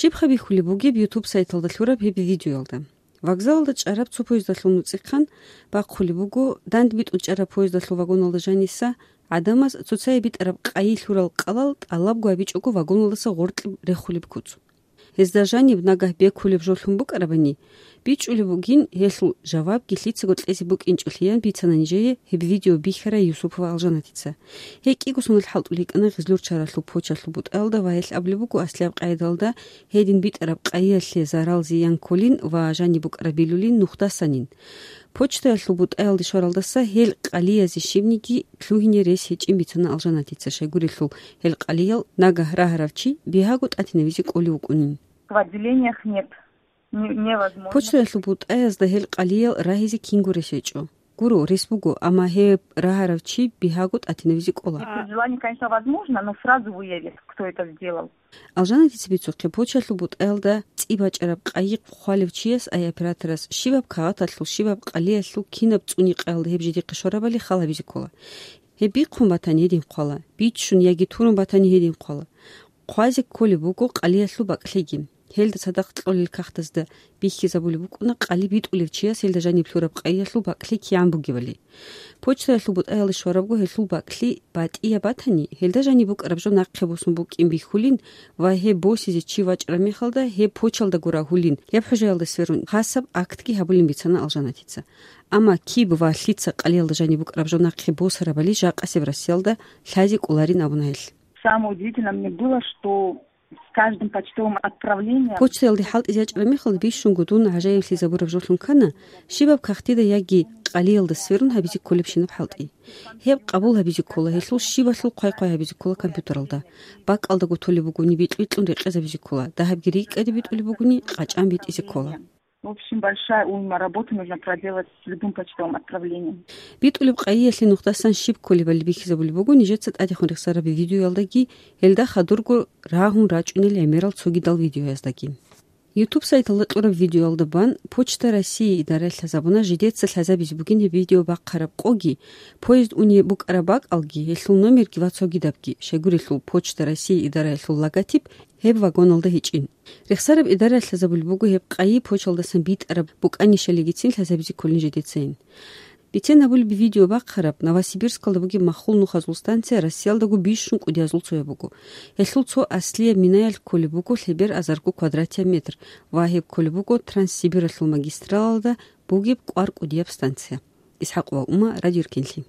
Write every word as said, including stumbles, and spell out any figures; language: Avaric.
Щибха бихьулеб бугеб YouTube сайталда лъураб гьеб видеоялда? Вокзалалда чӀараб цо поездалъул нуцӀихъан бахъулеб буго, дандбитӀун чӀараб поездалъул вагоналда жаниса гӀадамаз цоцае битӀараб къайи лъурал кӀалал тӀалабго абичӀого вагоналдаса гъоркье рехулеб куц. Гьезда жаниб нагагь бекулеб жо лъун букӀарабани, бичӀчӀулеб бугин гьелъул жавабги лъицаго кьезе букӀинчӀолъиян бицана нижее гьеб видео бихьарай Юсупова Алжанатица. Гьей кӀиго соналъ хӀалтӀулев йикӀана Гъизлур чаралъул почталъул бутӀаялда ва гьелъ абулеб буго аслияб къайдаялда гьедин битӀараб къайиялъе зарал-зиян кколин ва жаниб букӀараб билулин нухдасанин. Почтаялъул бутӀаялде щваралдаса гьел къалиязе щибниги лъугьине рес гьечӀин бицана Алжанатица, щайгурелъул гьел къалиял нагагь рагьарав чи бигьаго тӀатинавизе кӀолев вукӀунин. В отделениях нет. Не-, невозможно. Почтаялъул бутӀаязда гьел къалиял рагьизе кинго рес гьечӀо. Гуро, рес буго, амма гьеб рагьарав чи бигьаго тӀатинавизе кӀола. Если желание, конечно, возможно, но сразу выявит, кто это сделал. Алжанатица бицухъе, почтаялъул бутӀаялда цӀи бачӀараб къайи хъвалев чияс, ай операторас, щибаб кагъаталъул, щибаб къалиялъул, кинаб цӀуникъаялда гьеб жидехъе щварабали хал гьабизе ккола. Гьеб бихъун батани гьедин хъвала, биччун яги турун батани гьедин хъвала. Хъвазе кколеб буго къалиялъул бакӀлъиги. Гьелда цадахъ кьолел кагътазда бихьизабулеб букӀуна къали битӀулев чияс гьелда жаниб лъураб къайиялъул бакӀлъи кигӀан бугебали. Почтаялъул бутӀаялде щварабго гьелъул бакӀлъи батӀияб батани, гьелда жаниб букӀараб жо нахъе босун букӀин бихьулин ва гьеб босизе чи вачӀараб мехалда гьеб почтаялдаго рагьулин, гьеб хӀужаялда сверун хасаб актги гьабулин бицана Алжанатица. Амма киб ва лъица къалиялда жаниб букӀараб жо нахъе босарабали жакъасеб Россиялда лъазе кӀоларин абуна гьелъ. Самое удивительное мне было, что с каждым почтовым отправлением... Почтаялде хӀалтӀизе ячӀараб мехалда бищунго дун гӀажаиблъизабураб жолъун ккана, щибаб кагътида яги къалиялда сверун гьабизе кколебщинаб хӀалтӀи. Гьеб къабул гьабизе ккола, гьелъул щибалъул хъвай-хъвай гьабизе ккола компьютералда. БакӀалдаго толеб бугони, битӀун-битӀун рекъезабизе ккола, дагьабги рикӀкӀаде битӀулеб бугони, къачӀан битӀизе ккола. В общем, большая уйма работы нужно проделать с любым почтовым отправлением. БитӀулеб къайиялъе нухдасан щиб кколебали бихьизабулеб буго нижеца тӀадехун рехсараб видеоялдаги, гьелда хадурго рагьун рачӀунел гӀемерал цогидал видеояздаги. YouTube сайталда кьураб видеоялда бан Почта России идараялъ лъазабуна жидеца лъазабизе бугин гьеб видео бахъараб къоги, поезд униеб букӀараб бакӀалги, гьелъул номерги ва цогидабги, щайгурелъул Почта России идараялъул логотип гьеб вагоналда гьечӀин. Рехсараб идараялъ лъазабулеб буго гьеб къайи почтаялдасан битӀараб букӀанищалигицин лъазабизе кколин жидецайин. Бицен гьабулеб видео бахъараб Новосибирскалда бугеб маххул нухазул станция Россиялдаго бищун кӀудиязул цояб буго. Гьелъул цо аслияб минаялъ кколеб буго лъебер азарго квадратияб метр ва гьеб кколеб буго Транссибиралъул магистралалда бугеб кӀвар кӀудияб станция. ИсхӀакъова Ума, Радио Эркенлъи.